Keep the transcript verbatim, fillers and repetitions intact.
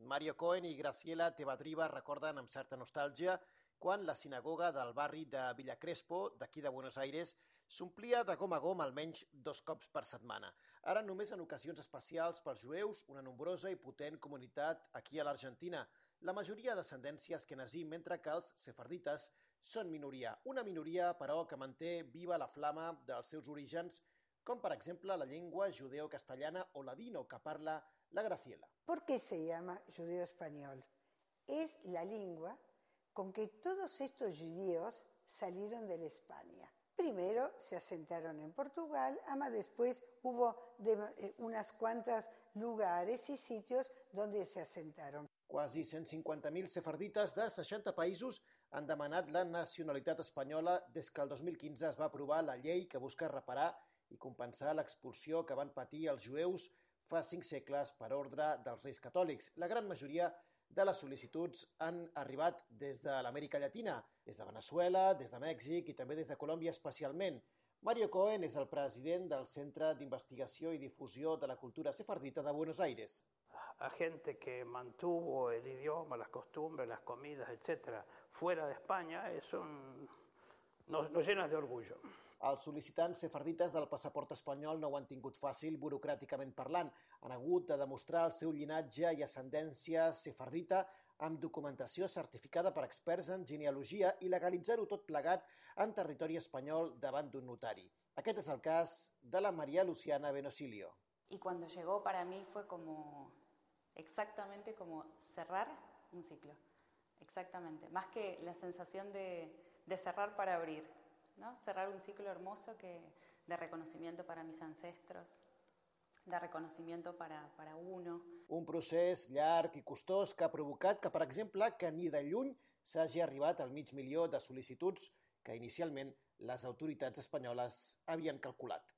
Mario Cohen i Graciela Tebadriba recorden amb certa nostàlgia quan la sinagoga del barri de Villa Crespo, d'aquí de Buenos Aires, s'omplia de gom a gom almenys dos cops per setmana. Ara només en ocasions especials pels jueus, una nombrosa i potent comunitat aquí a l'Argentina, la majoria d'ascendència asquenazí, mentre que els sefardites són minoria. Una minoria, però, que manté viva la flama dels seus orígens, com per exemple la llengua judeo-castellana o ladino que parla la Graciela. ¿Por qué se llama judeo-español? Es la lengua con que todos estos judíos salieron de la España. Primero se asentaron en Portugal, ama después hubo de, eh, unas cuantas lugares y sitios donde se asentaron. Quasi cent cinquanta mil sefardites de seixanta països han demanat la nacionalitat espanyola des que el dos mil quinze es va aprovar la llei que busca reparar i compensar l'expulsió que van patir els jueus fa cinc segles per ordre dels Reis Catòlics. La gran majoria de les sol·licituds han arribat des de l'Amèrica Llatina, des de Venezuela, des de Mèxic i també des de Colòmbia especialment. Mario Cohen és el president del Centre d'Investigació i Difusió de la Cultura Sefardita de Buenos Aires. A gente que mantuvo el idioma, las costumbres, las comidas, etcétera, fuera de España, es un... nos, nos llena de orgullo. Els sol·licitants sefardites del passaport espanyol no ho han tingut fàcil burocràticament parlant. Han hagut de demostrar el seu llinatge i ascendència sefardita amb documentació certificada per experts en genealogia i legalitzar-ho tot plegat en territori espanyol davant d'un notari. Aquest és el cas de la María Luciana Benosilio. Y cuando llegó para mí fue como exactamente como cerrar un ciclo. Exactamente. Más que la sensación de, de cerrar para abrir. ¿No? Cerrar un ciclo hermoso que, de reconocimiento para mis ancestros, de reconocimiento para, para uno. Un procés llarg i costós que ha provocat que, per exemple, que ni de lluny s'hagi arribat al mig milió de sol·licituds que inicialment les autoritats espanyoles havien calculat.